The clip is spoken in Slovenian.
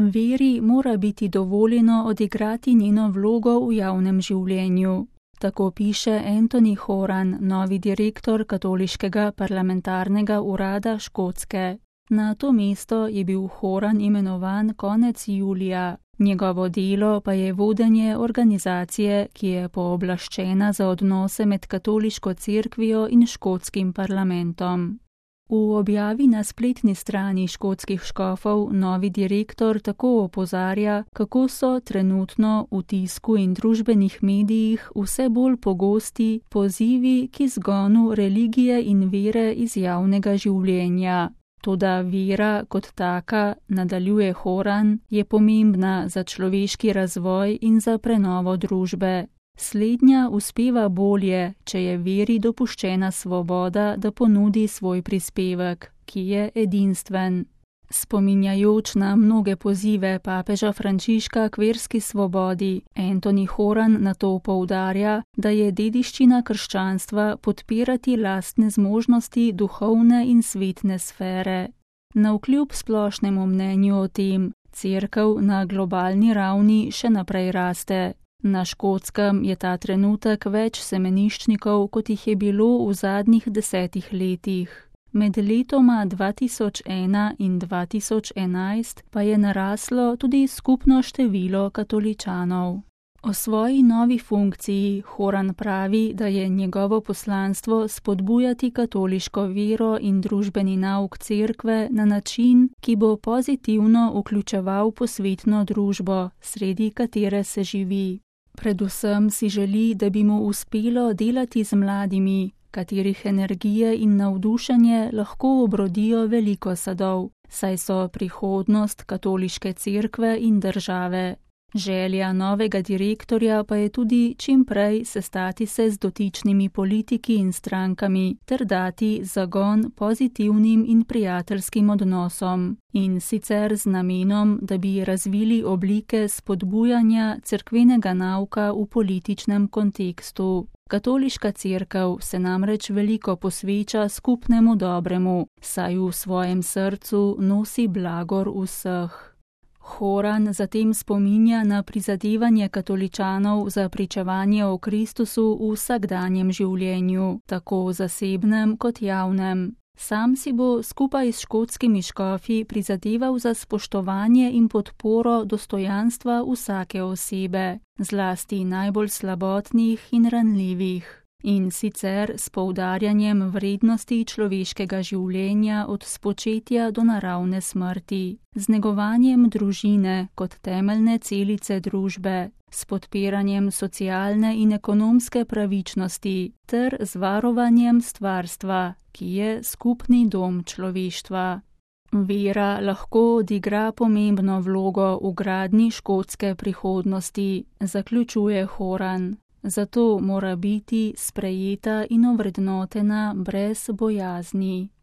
Veri mora biti dovoljeno odigrati njeno vlogo v javnem življenju. Tako piše Anthony Horan, novi direktor Katoliškega parlamentarnega urada Škotske. Na to mesto je bil Horan imenovan konec julija. Njegovo delo pa je vodenje organizacije, ki je pooblaščena za odnose med katoliško cerkvijo in škotskim parlamentom. V objavi na spletni strani škotskih škofov novi direktor tako opozarja, kako so trenutno v tisku in družbenih medijih vse bolj pogosti pozivi k izgonu religije in vere iz javnega življenja. Toda vera kot taka, nadaljuje Horan, je pomembna za človeški razvoj in za prenovo družbe. Slednja uspeva bolje, če je veri dopuščena svoboda, da ponudi svoj prispevek, ki je edinstven. Spominjajoč na mnoge pozive papeža Frančiška k verski svobodi, Anthony Horan nato poudarja, da je dediščina krščanstva podpirati lastne zmožnosti duhovne in svetne sfere. Navkljub splošnemu mnenju o tem, cerkev na globalni ravni še naprej raste. Na Škotskem je ta trenutek več semeniščnikov, kot jih je bilo v zadnjih 10 letih. Med letoma 2001 in 2011 pa je naraslo tudi skupno število katoličanov. O svoji novi funkciji Horan pravi, da je njegovo poslanstvo spodbujati katoliško vero in družbeni nauk cerkve na način, ki bo pozitivno vključeval posvetno družbo, sredi katere se živi. Predvsem si želi, da bi mu uspelo delati z mladimi, katerih energije in navdušenje lahko obrodijo veliko sadov, saj so prihodnost katoliške cerkve in države. Želja novega direktorja pa je tudi čim prej sestati se z dotičnimi politiki in strankami ter dati zagon pozitivnim in prijateljskim odnosom. In sicer z namenom, da bi razvili oblike spodbujanja cerkvenega nauka v političnem kontekstu. Katoliška cerkev se namreč veliko posveča skupnemu dobremu, saj v svojem srcu nosi blagor vseh. Horan zatem spominja na prizadevanje katoličanov za pričevanje o Kristusu v vsakdanjem življenju, tako zasebnem kot javnem. Sam si bo skupaj s škotskimi škofi prizadeval za spoštovanje in podporo dostojanstva vsake osebe, zlasti najbolj slabotnih in ranljivih. In sicer s poudarjanjem vrednosti človeškega življenja od spočetja do naravne smrti, z negovanjem družine kot temeljne celice družbe, s podpiranjem socialne in ekonomske pravičnosti ter z varovanjem stvarstva, ki je skupni dom človeštva. Vera lahko odigra pomembno vlogo v gradnji škotske prihodnosti, zaključuje Horan. Zato mora biti sprejeta in ovrednotena brez bojazni.